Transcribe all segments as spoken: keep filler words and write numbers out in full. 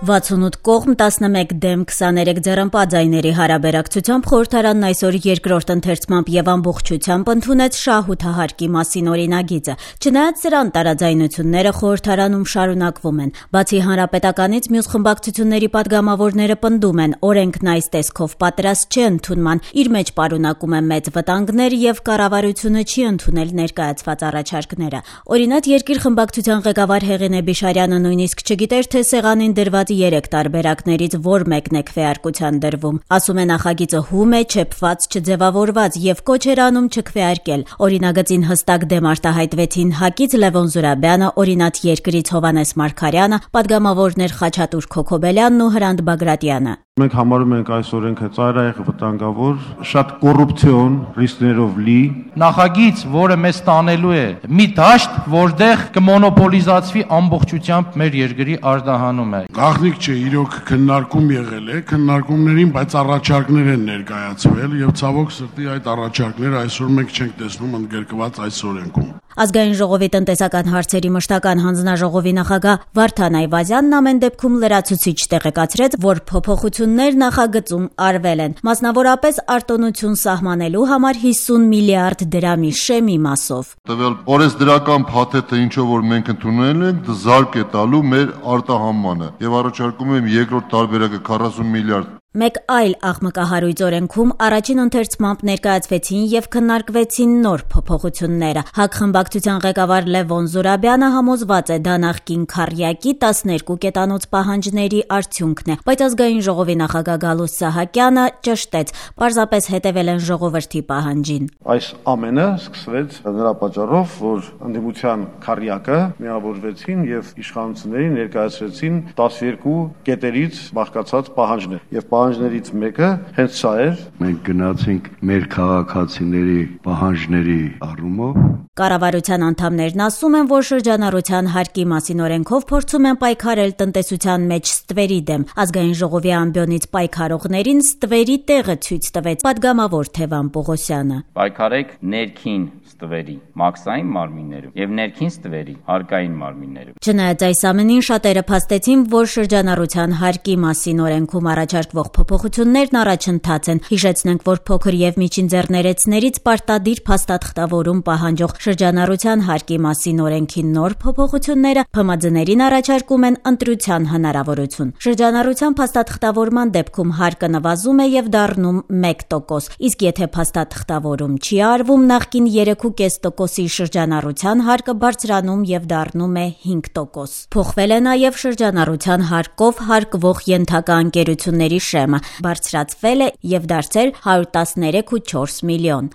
վաթսունութ կողմ տասնմեկ դեմ քսաներեք ձեռնպա ձայների հարաբերակցությամբ խորհրդարանն այսօր երկրորդ ընթերցմամբ եւ ամբողջությամբ ընդունեց շահութահարկի մասին օրինագիծը։ Չնայած սրան տարաձայնությունները խորհրդարանում շարունակվում են։ Բացի հանրապետականից մյուս խմբակցությունների падգամավորները պնդում են, օրենքն այս տեսքով պատրաստ չէ ընդունման, իր մեջ պարունակում է մեծ վտանգներ եւ կառավարությունը չի ընդունել ներկայացված առաջարկները։ Օրինակ երկիր խմբակցության ղեկավար Հեղինե Բիշարյանը նույնիսկ չգիտեր, թե սեղանին դրված երեք տարբերակներից որ մեկն է քվեարկության դրվում։ Ասում է նախագիծը հում է, չեփված, չձևավորված եւ կոչ էր անում չքվեարկել։ Օրինագծին հստակ դեմ արտահայտվեցին ՀԱԿ-ից Լևոն Զուրաբյանը, օրինաց երկրից Հովհաննես Մարգարյանը, падգամավորներ Խաչատուր Քոքոբելյանն ու Հրանտ Բագրատյանը։ Մենք համարում ենք այս օրենքը ծայրահեղ վտանգավոր, շատ կոռուպցիոն ռիսկներով լի։ Նախագիծ, որը մեզ տանելու է մի դաշտ, որտեղ կմոնոպոլիզացվի ամբողջությամբ մեր երկրի արտահանումը։ Գաղտնիք չէ, իրոք քննարկում եղել է, քննարկումներին, բայց առաջարկներ են ներկայացվել եւ ցավոք սրտի այդ առաջարկները այսօր մենք չենք տեսնում ընդգրկված այս օրենքում։ Ազգային ժողովի տնտեսական հարցերի մշտական հանձնաժողովի նախագահ Վարդան Այվազյանն ամեն դեպքում լրացուցիչ տեղեկացրեց, որ փոփոխություններ նախագծում արվել են, մասնավորապես արտոնություն սահմանելու համար հիսուն միլիարդ դրամի շեմի մասով։ Տվյալ օրենսդրական փաթեթը ինչով որ մենք ընդունել ենք, զարգ է տալու մեր արտահանմանը եւ առաջարկում եմ երկրորդ տարբերակը քառասուն միլիարդ։ Մեկ այլ աղմկահարույց օրենքում առաջին ընթերցմամբ ներկայացվեցին եւ քննարկվեցին նոր փոփոխությունները։ ՀԱԿ խմբակցության ղեկավար Լևոն Զուրաբյանը համոզված է դա նախկին քառյակի տասներկու կետանոց պահանջների արդյունքն է, բայց ազգային ժողովի նախագահ Գալուստ Սահակյանը ճշտեց, պարզապես հետևել են ժողովրդի պահանջին։ Այս ամենը սկսվեց նրա պատճառով, որ ընդդիմության քառյակը միավորվեցին եւ իշխանություններին ներկայացրեցին տասներկու կետերից բաղկացած պահանջներ եւ պահանջներից մեկը հենց սա էր։ Մենք գնացինք մեր քաղաքացիների պահանջների առումով։ Կառավարության անդամներն ասում են, որ շրջանառության հարկի մասին օրենքով փորձում են պայքարել տնտեսության մեջ ստվերի դեմ։ Ազգային ժողովի ամբիոնից պայքարողներին ստվերի տեղը ցույց տվեց падգամավոր Թևան Պողոսյանը։ Պայքարեք ներքին ստվերի, մաքսային մարմիններում եւ ներքին ստվերի, հարկային մարմիններում։ Չնայած այս ամենին շատերը փաստեցին, որ շրջանառության հարկի մասին օրենքում առաջարկվող փոփոխություններն առաջընթաց են։ Հիշեցնենք, որ փոքր եւ միջին ձեռներեցներից պարտադիր փաստաթղթավորում պահանջող շրջանառության հարկի մասին օրենքի նոր փոփոխությունները ՓՄՁ-ներին առաջարկում են ընտրության հնարավորություն։ Շրջանառության փաստաթղթավորման դեպքում հարկը նվազում է եւ դառնում մեկ տոկոս, իսկ եթե փաստաթղթավորում չի արվում, նախկին երեք ու կես տոկոսի շրջանառության հարկը բարձրանում եւ դառնում է հինգ տոկոս։ Փոխվել է նաեւ շրջանառության հարկով հարկվող ենթակա ընկերությունների շեմը, բարձրացվել է եւ դարձել հարյուր տասներեք ու չորս միլիոն։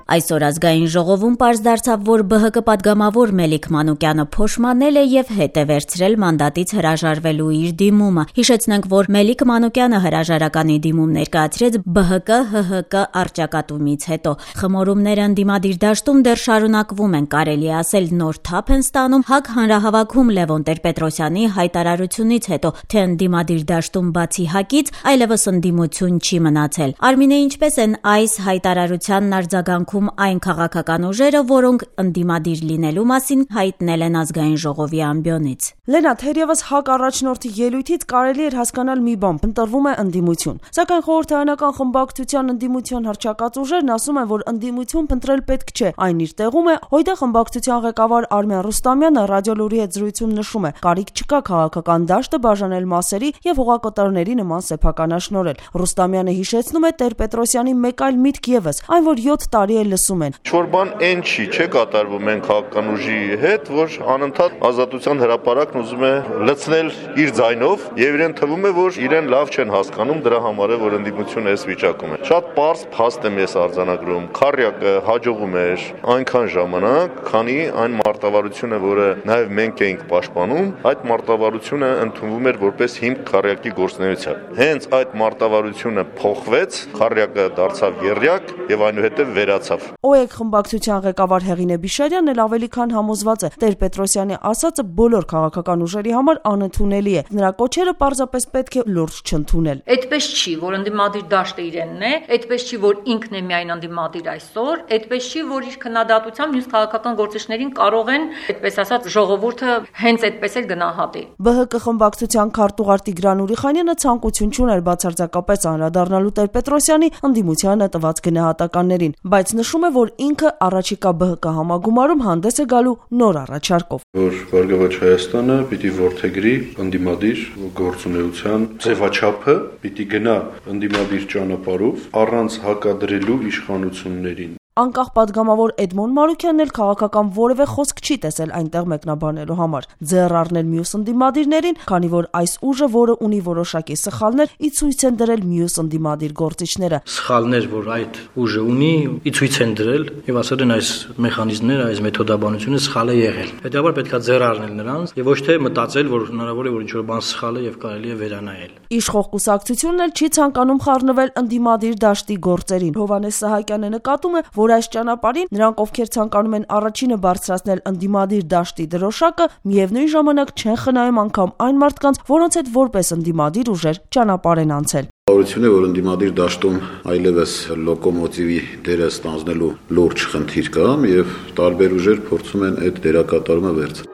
Այսօր ազգային ժողովում պարզ դարձավ, որ ԲՀԿ падգամավոր Մելիք Մանուկյանը փոշմանել է եւ հետ է վերցրել մանդատից հրաժարվելու իր դիմումը։ Հիշեցնենք, որ Մելիք Մանուկյանը հրաժարականի դիմում ներկայացրեց ԲՀԿ ՀՀԿ առճակատումից հետո։ Խմորումները ընդդիմադիր դաշտում դեռ շարունակվում են, կարելի է ասել նոր թափ են ստանում ՀԱԿ հանրահավաքում Լևոն Տեր-Պետրոսյանի հայտարարությունից հետո, թե ընդդիմադիր դաշտում բացի ՀԱԿ-ից այլևս ընդդիմություն չի մնացել։ Արմինե, ինչպես են այս հայտարարությանն արձագանքում այն քաղաքական ուժերը, որոնք ընդդիմադիր լինելու մասին հայտնել են ազգային ժողովի ամբիոնից։ Լենա, թերևս ՀԱԿ առաջնորդի ելույթից կարելի էր հասկանալ մի բան, ընտրվում է ընդդիմություն։ Սակայն խորհրդարանական խմբակցության ընդդիմության հռչակած ուժերն ասում են, որ ընդդիմություն փնտրել պետք չէ, այն իր տեղում է։ Հույդա խմբակցության ղեկավար Արմեն Ռուստամյանը ռադիոլուրի հետ զրույցում նշում է, կարիք չկա քաղաքական դաշտը բաժանել մասերի եւ հողակտարների նման սեփականաշնորհել։ Ռուստամյանը հիշեցնում է Տեր-Պետրոսյանի մեկ այլ միտք եւս, այն որ յոթ տարի է լսում են։ Չորբան այն չի, չէ կատարվում են քաղաքական ուժի հետ, որ անընդհատ ազատության հրապարակն ուզում է լցնել իր ձայնով եւ իրեն թվում է, որ իրեն լավ չեն հասկանում, դրա համար է, որ ընդդիմությունը այս վիճակում է։ Շատ պարզ փաստ եմ ես արձանագրում, քառյակը հաջողում էր այնքան ժամանակ, քանի այն մարտավարությունը, որը նաեւ մենք էինք պաշտպանում, այդ մարտավարությունը ընդունվում էր որպես հիմք քառյակի գործունեության։ Հենց այդ մարտավարությունը փոխվեց, քառյակը դարձավ եռյակ եւ այնուհետեւ վերացավ։ լավ։ ՕԵԿ խմբակցության ղեկավար Հեղինե Բիշարյանն էլ ավելի քան համոզված է, Տեր-Պետրոսյանի ասածը բոլոր քաղաքական ուժերի համար անընդունելի է։ Նրա կոչերը պարզապես պետք է լուրջ չընդունել։ Այդպես չի, որ ընդդիմադիր դաշտը իրենն է, այդպես չի, որ ինքն է միայն ընդդիմադիր այսօր, այդպես չի, որ իր քննադատությամբ մյուս քաղաքական գործիչներին կարող են, այդպես ասած, ժողովուրդը հենց այդպես էլ գնահատի։ ԲՀԿ խմբակցության քարտուղար Տիգրան Ուրիխանյանը ցանկություն չուներ բացարձակապես անդրադառնալու Տեր-Պետրոսյանի ընդդիմությանը տված գնահատականներին, բայց նշում է, որ ինքը առաջիկա ԲՀԿ համագումարում հանդես է գալու նոր առաջարկով։ Որ Բարգավաճ Հայաստանը պիտի որդեգրի ընդդիմադիր գործունեության ձևաչափը, պիտի գնա ընդդիմադիր ճանապարհով առանց հակադրելու իշխանություններին։ Անկախ падգամավոր Էդմոն Մարուկյանն էլ քաղաքական որևէ խոսք չի տեսել այնտեղ մեկնաբանելու համար։ Ձեռ առնել մյուս ընդդիմադիրներին, քանի որ այս ուժը, որը ունի որոշակի սխալներ, ի ցույց են դրել մյուս ընդդիմադիր գործիչները։ Սխալներ, որ այդ ուժը ունի, ի ցույց են դրել եւ ասել են այս մեխանիզմները, այս մեթոդաբանությունը սխալ է եղել։ Հետեւաբար պետք է ձեռ առնել նրանց եւ ոչ թե մտածել, որ հնարավոր է որ ինչ-որ բան սխալ է եւ կարելի է վերանայել։ Իշխող կուսակցությունն էլ չի ցանկանում խառնվել ընդդիմադիր դաշտի գործերին։ Հովհաննես Սահակյանը նկատում է, որ այս ճանապարհին նրանք, ովքեր ցանկանում են առաջինը բարձրացնել ընդդիմադիր դաշտի դրոշակը, միևնույն ժամանակ չեն խնայում անգամ այն մարդկանց, որոնց հետ որպես ընդդիմադիր ուժեր ճանապարհ են անցել։ Բավարարություն է, որ ընդդիմադիր դաշտում այլևս լոկոմոտիվի դերը ստանձնելու լուրջ խնդիր կա եւ տարբեր ուժեր փորձում են այդ դերակատարումը վերցնել։